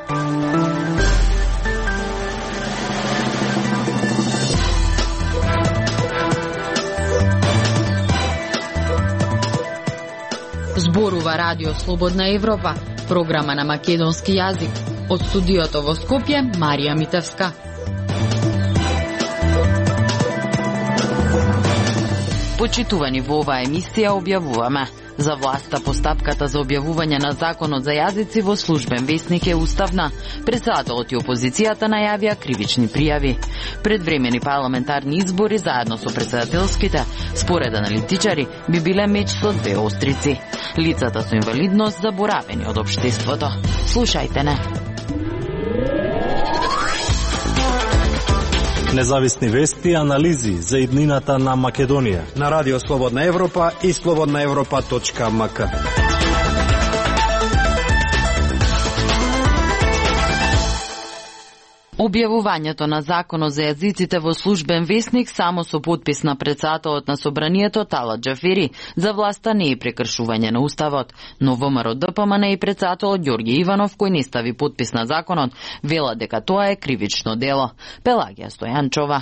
Зборува Радио Слободна Европа, програма на македонски јазик. Од студиото во Скопје, Марија Митевска. Почитувани, во оваа емисија објавуваме: за власта постапката за објавување на законот за јазици во службен весник е уставна. Председателот и опозицијата најавија кривични пријави. Предвремени парламентарни избори заедно со председателските, според аналитичари, би биле меч со две острици. Лицата со инвалидност заборавени од општеството. Слушајте не. Независни вести и анализи за иднината на Македонија на Радио Слободна Европа и slobodnaevropa.mk. Објавувањето на законот за јазиците во службен весник само со подпис на председателот на собранието Талат Џафери за власта не е прекршување на уставот, но ВМРО ДПМН и председателот Ѓорѓе Иванов, кој не стави подпис на законот, вела дека тоа е кривично дело. Пелагија Стојанчова.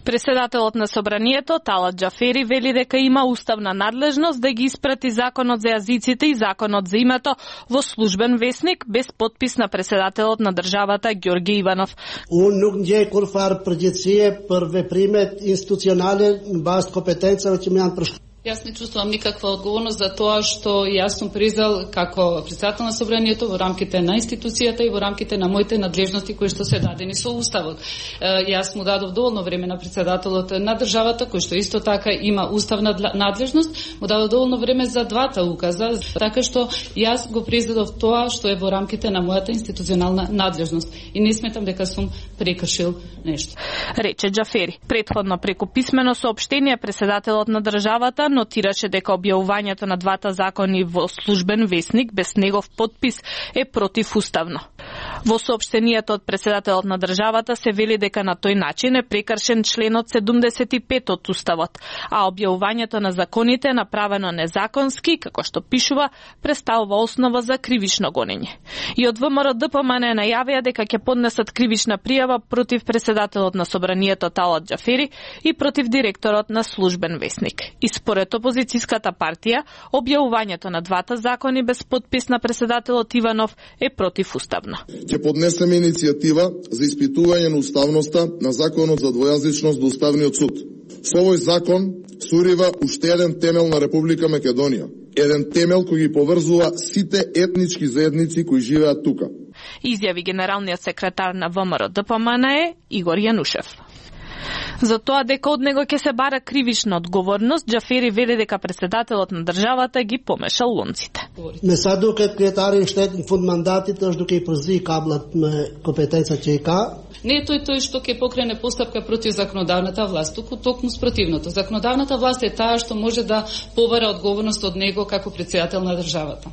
Председателот на собранието Талат Џафери вели дека има уставна надлежност да ги испрати законот за јазиците и законот за името во службен весник без подпис на председателот на државата Ѓорѓе Иванов. Unë nuk ndjej kurfar përgjegjësie për veprimet institucionale në bazë të kompetencave që më janë përshkruar. Јас не чувствувам никаква одговорност за тоа што јас сум признал како председател на собранието во рамките на институцијата и во рамките на моите надлежности кои што се дадени со уставот. Јас му дадов доволно време на председателот на државата, кој што исто така има уставна надлежност, му дадов доволно време за двата указа, така што јас го признав тоа што е во рамките на мојата институционална надлежност и не сметам дека сум прекршил нешто. Рече Џафери. Претходно преку писмено соопштение председателот на државата нотираше дека објавувањето на двата закони во службен весник без негов подпис е противуставно. Во соопштението од председателот на државата се вели дека на тој начин е прекршен членот 75 од уставот, а објавувањето на законите е направено незаконски, како што пишува, представува основа за кривично гонење. И од ВМРО ДПМН најавија дека ќе поднесат кривична пријава против председателот на собранието Талат Џафери и против директорот на службен весник. И според опозицијската партија, објавувањето на двата закони без подпис на председателот Иванов е противуставно. Ќе поднесеме иницијатива за испитување на уставноста на законот за двојазичност до Уставниот суд. Со овој закон сурива уште еден темел на Република Македонија. Еден темел кој ги поврзува сите етнички заедници кои живеат тука. Изјави генералниот секретар на ВМРО ДПМН Игор Јанушев. За тоа дека од него ќе се бара кривична одговорност, Џафери вели дека председателот на државата ги помешал лонците. Me sa duket kryetari i shtetit në fund mandatit është duke I përzi kablat me kompetencat që I ka. Не е тој што ќе покрене постапка против законодавната власт, туку токму спротивното. Законодавната власт е таа што може да побара одговорност од него како председател на државата.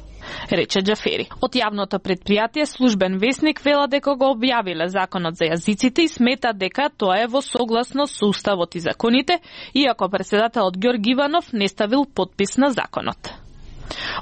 Рече Џафери. Од јавното предпријатие службен весник вела дека го објавиле законот за јазиците и смета дека тоа е во согласност со уставот и законите, иако председателот Ѓорѓе Иванов не ставил подпис на законот.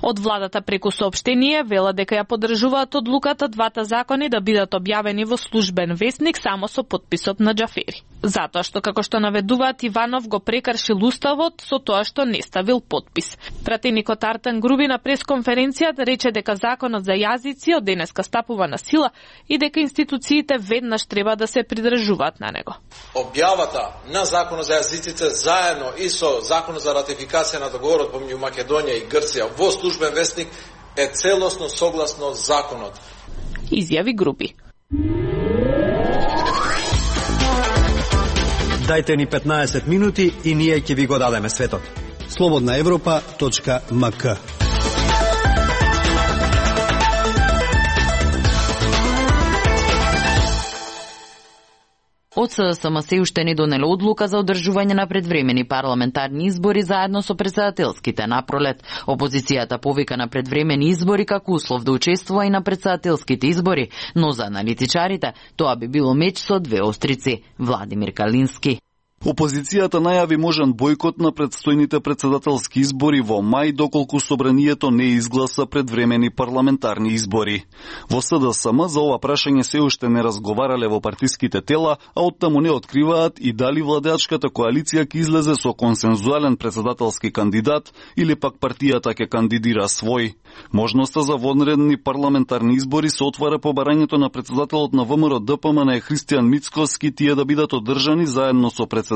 Од владата преку соопштение вела дека ја поддржуваат одлуката двата закони да бидат објавени во службен весник само со подписот на Џафери. Затоа што, како што наведуваат, Иванов го прекршил уставот со тоа што не ставил подпис. Пратеникот Артан Груби на пресконференцијата рече дека законот за јазици од денеска стапува на сила и дека институциите веднаш треба да се придржуваат на него. Објавата на законот за јазиците заедно и со законот за ратификација на договорот помеѓу Македонија и Грција во службен весник е целосно согласно законот. Изјави Груби. Дајте ни 15 минути и ние ќе ви го дадеме светот. slobodnaevropa.mk. Од СДСМ се уште не донеле одлука за одржување на предвремени парламентарни избори заедно со председателските напролет. Опозицијата повика на предвремени избори како услов да учествува и на председателските избори, но за аналитичарите тоа би било меч со две острици. Владимир Калински. Опозицијата најави можен бојкот на предстојните председателски избори во мај доколку собранието не изгласа предвремени парламентарни избори. Во СДСМ за ова прашање се уште не разговарале во партиските тела, а оттаму не откриваат и дали владеачката коалиција ќе излезе со консензуален председателски кандидат или пак партијата ќе кандидира свој. Можноста за вонредни парламентарни избори се отвара по барањето на председателот на ВМРО ДПМН Христијан Мицкоски тие да бидат одржани заедно со председателските,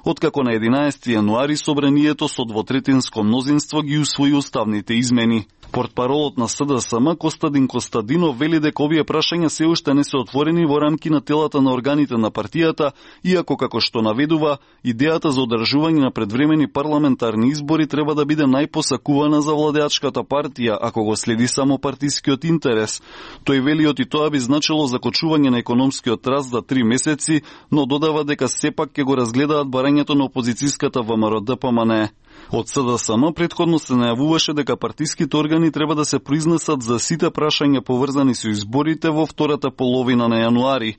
откако на 11 јануари собранието со двотретинско мнозинство ги усвои уставните измени. Портпаролот на СДСМ Костадин Костадинов вели дека овие прашања се уште не се отворени во рамки на телата на органите на партијата, иако како што наведува, идејата за одржување на предвремени парламентарни избори треба да биде најпосакувана за владеачката партија, ако го следи само партискиот интерес. Тој вели и тоа би значило закочување на економскиот раст за 3 месеци, но додава дека сепак ќе го разгледаат барањето на опозицијската ВМРО ДПМН. Од СДСМ претходно се најавуваше дека партиските органи треба да се произнесат за сите прашања поврзани со изборите во втората половина на јануари.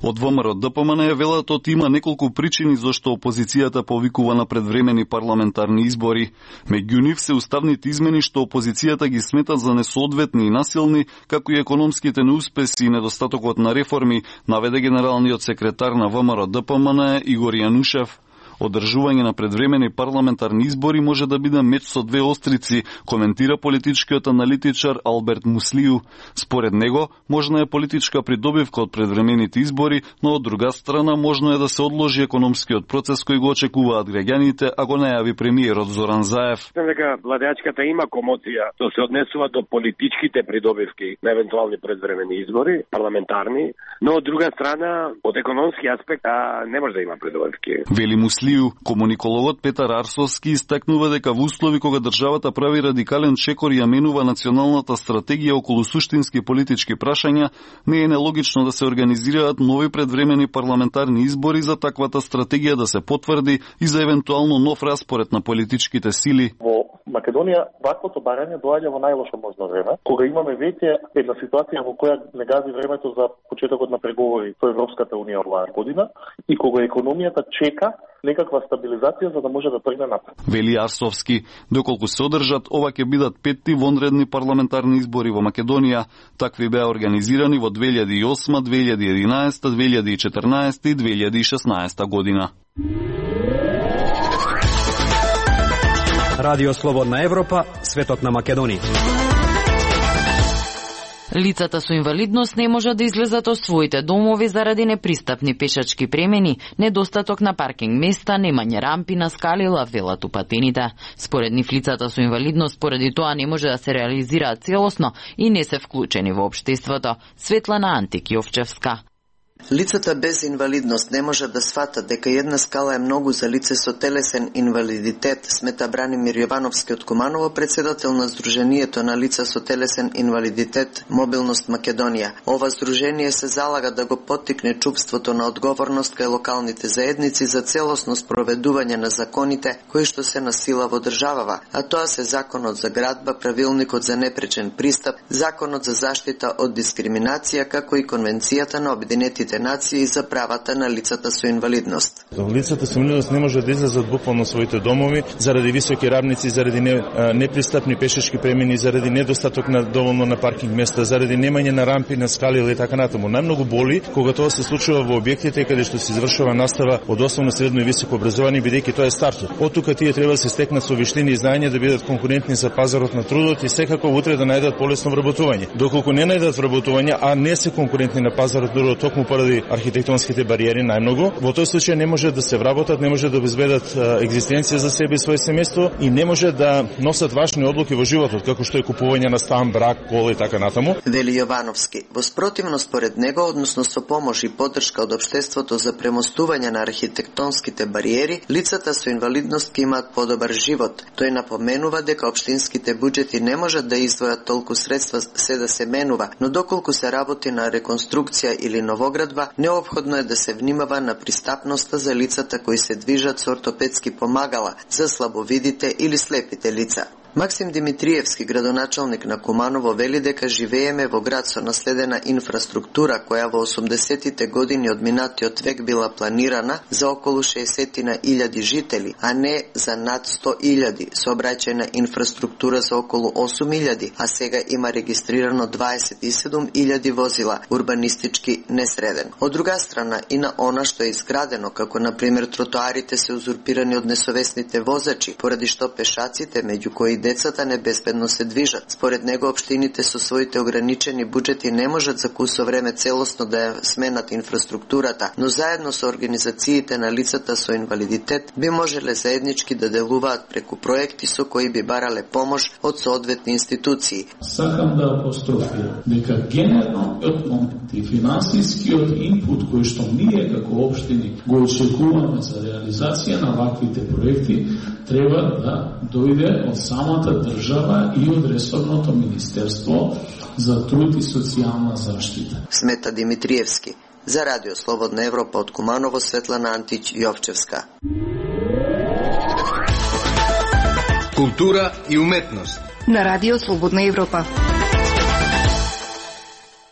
Од ВМРО ДПМН велат има неколку причини зашто опозицијата повикува на предвремени парламентарни избори. Меѓу нив се уставните измени што опозицијата ги смета за несоодветни и насилни, како и економските неуспеси и недостатокот на реформи, наведе генералниот секретар на ВМРО ДПМН Игор Јанушев. Одржување на предвремени парламентарни избори може да биде меч со две острици, коментира политичкиот аналитичар Алберт Муслију. Според него, можна е политичка придобивка од предвремените избори, но од друга страна можно е да се одложи економскиот процес кој го очекуваат граѓаните, а го најави премиерот Зоран Заев. Дека владеачката има комоција што се однесува до политичките придобивки на евентуални предвремени избори, парламентарни, но од друга страна, од економски аспект, не може да има придобивки. Вели Муслију. Комуникологот Петар Арсовски истакнува дека во услови кога државата прави радикален чекор и ја менува националната стратегија околу суштински политички прашања, не е нелогично да се организираат нови предвремени парламентарни избори за таквата стратегија да се потврди и за евентуално нов распоред на политичките сили. Во Македонија ваквото барање доаѓа во најлошо можно време, кога имаме веќе една ситуација во која не гази времето за почетокот на преговори со Европската унија оваа година и кога економијата чека некаква стабилизација за да може да тргне напред. Вели Арсовски, доколку се одржат, ова ќе бидат 5-ти вонредни парламентарни избори во Македонија. Такви беа организирани во 2008, 2011, 2014 и 2016 година. Радио Слободна Европа, светот на Македонија. Лицата со инвалидност не можат да излезат од своите домови заради непристапни пешачки премени, недостаток на паркинг места, немање рампи на скалила, велат упатените. Според нив лицата со инвалидност поради тоа не може да се реализираат целосно и не се вклучени во општеството. Светлана Антик-Јовчевска. Лицата без инвалидност не можат да сватат дека една скала е многу за лице со телесен инвалидитет, смета Бранимир Јовановски од Куманово, председател на Сдруженијето на лица со телесен инвалидитет Мобилност Македонија. Ова здружение се залага да го поттикне чувството на одговорност кај локалните заедници за целосно спроведување на законите кои што се на сила во државава, а тоа се Законот за градба, Правилникот за непречен пристап, Законот за заштита од дискриминација, како и Конвенцијата на Обединетите нации за правата на лицата со инвалидност. Лицата со инвалидност не може да излезат буквално своите домови заради високи равници, заради непристапни пешачки премини, заради недостаток на доволно на паркинг места, заради немање на рампи, на скали или така натаму. Најмногу боли кога тоа се случува во објектите каде што се извршува настава од основно, средно и високо образование, бидејќи тоа е стартот. Од тука тие треба да се стекнат со виштини и знаење да бидат конкурентни за пазарот на трудот и секако утре да најдат полесно вработување. Доколку не најдат вработување, а не се конкурентни на пазарот на трудот токму поради архитектонските бариери најмногу, во тој случај не може да се вработат, не може да обезбедат екзистенција за себе и своје семејство и не може да носат важни одлуки во животот, како што е купување на стан, брак, кола и така натаму. Вели Јовановски, во спротивно според него, односно со помош и поддршка од општеството за премостување на архитектонските бариери, лицата со инвалидност ќе имаат подобар живот. Тој напоменува дека општинските буџети не можат да издвојат толку средства се да се менува, но доколку се работи на реконструкција или новоградба, неопходно е да се внимава на пристапноста за лицата кои се движат со ортопедски помагала, за слабовидите или слепите лица. Максим Димитриевски, градоначалник на Куманово, вели дека живееме во град со наследена инфраструктура која во 80-тите години од минатиот век била планирана за околу 60.000 жители, а не за над 100.000, сообраќајна инфраструктура за околу 8.000, а сега има регистрирано 27.000 возила, урбанистички несреден. Од друга страна, и на она што е изградено, како на пример тротоарите се узурпирани од несовесните возачи, поради што пешаците, меѓу кои децата, небезбедно се движат. Според него, општините со своите ограничени буџети не можат за кусо време целосно да ја сменат инфраструктурата, но заедно со организациите на лицата со инвалидитет би можеле заеднички да делуваат преку проекти со кои би барале помош од соодветни институции. Сакам да апострофирам дека генералниот момент и финансискиот инпут кој што ние како општини го очекуваме за реализација на ваквите проекти треба да дојде од самата држава и од ресорното министерство за труд и социјална заштита. Смета Димитриевски. За Радио Слободна Европа од Куманово, Светлана Антич Јовчевска. Култура и уметност на Радио Слободна Европа.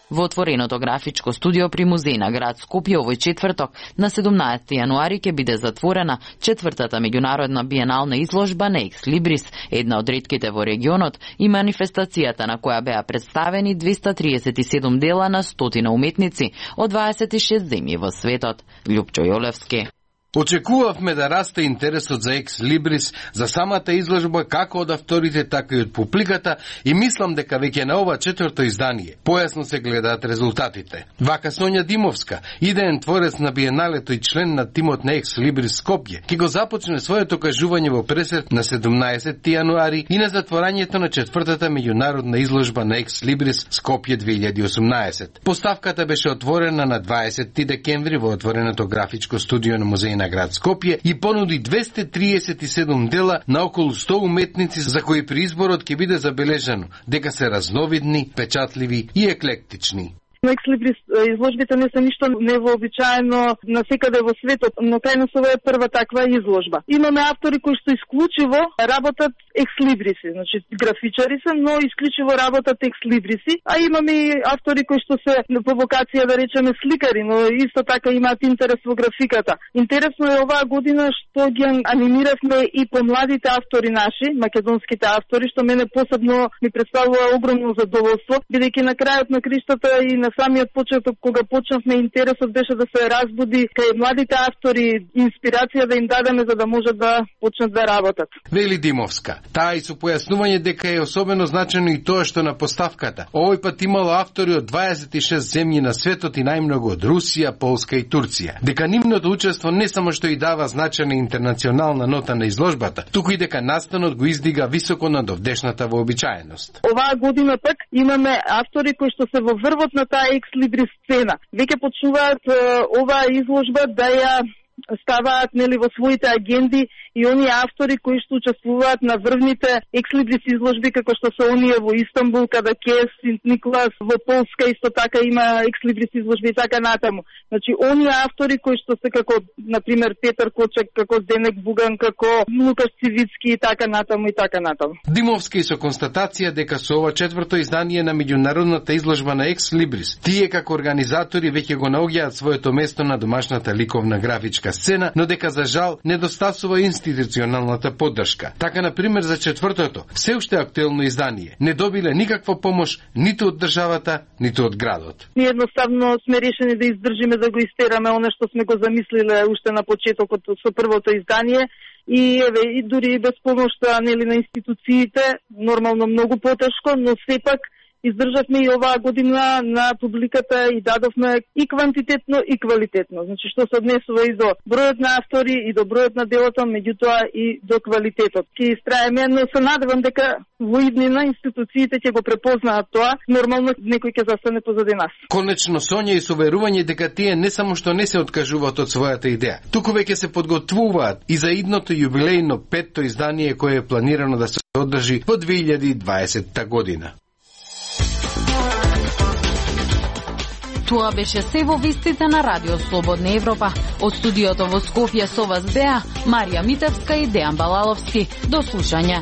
Во отвореното графичко студио при музеј на град Скопје овој четврток на 17 јануари ќе биде затворена четвртата меѓународна биенална изложба на Екс Либрис, една од ретките во регионот, и манифестацијата на која беа представени 237 дела на 100 уметници од 26 земји во светот. Лјупчо Јолевски. Очекувавме да расте интересот за Екс Либрис, за самата изложба, како од авторите, така и од публиката, и мислам дека веќе на ова четврто издание појасно се гледаат резултатите. Вака Сонја Димовска, идеен творец на биеналето и член на тимот на Екс Либрис Скопје, ќе го започне своето кажување во пресет на 17 јануари и на затворањето на четвртата меѓународна изложба на Екс Либрис Скопје 2018. Поставката беше отворена на 20 декември во отвореното графичко студио на музеј на град Скопје и понуди 237 дела на околу 100 уметници за кои при изборот ќе биде забележано дека се разновидни, печатливи и еклектични. Екс Либрис изложбите не се ништо невообичаено насекаде во светот, но кај нас ова е прва таква изложба. Имаме автори кои што исклучиво работат екс либриси, значи графичари се, но исклучиво работат екс либриси, а имаме и автори кои што се по вокација, да речеме, сликари, но исто така имаат интерес во графиката. Интересно е оваа година што ги анимиравме и помладите автори наши, македонските автори, што мене посебно ми представува огромно задоволство, бидејќи на крајот на криштата и на самиот почеток, кога почнавме, интересот беше да се разбуди кај младите автори, инспирација да им дадеме за да можат да почнат да работат. Вели Димовска, таа и со појаснување дека е особено значено и тоа што на поставката овој пат имало автори од 26 земји на светот и најмногу од Русија, Полска и Турција. Дека нивното учество не само што и дава значена интернационална нота на изложбата, туку и дека настанот го издига високо над овдешната вообичаеност. Оваа година пак имаме автори кои што се во врвот на таа екс либрис сцена. Веќе почнуваат оваа изложба да ја ставаат, нели, во своите агенди и оние автори кои што учествуваат на врвните екс либрис изложби, како што се оние во Истанбул, Кадакес, Синт Николас, во Полска исто така има екс либрис изложби и така натаму. Значи, оние автори кои што се како, например, Петар Кочек, како Денек Буган, како Лукаш Цивицки и така натаму и така натаму. Димовски со констатација дека со ова четврто издание на меѓународната изложба на екс либрис, тие како организатори веќе го наоѓаат своето место на домашната ликовна графичка сцена, но дека за жал недостасува институционалната поддршка. Така, например, за четвртото, се уште актуелно издание, не добиле никаква помош ниту од државата, ниту од градот. Ние едноставно сме решени да издржиме да го истераме она што сме го замислиле уште на почетокот со првото издание и еве и дури и без помошта, нели, на институциите, нормално многу потешко, но сепак издржавме и оваа година на публиката и дадовме и квантитетно и квалитетно. Значи, што се однесува и до бројот на автори и до бројот на делото, меѓутоа и до квалитетот. Ќе истраеме, но се надевам дека во иднина институциите ќе го препознаат тоа, нормално некој ќе застане позади нас. Конечно, Сонја и со верување дека тие не само што не се откажуваат од својата идеја, туку веќе се подготвуваат и за идното јубилејно 5-то издание кое е планирано да се одржи во 2020 година. Тоа беше се во вестите на Радио Слободна Европа. Од студиото во Скопје со вас беа Марија Митевска и Дејан Балаловски. До слушање.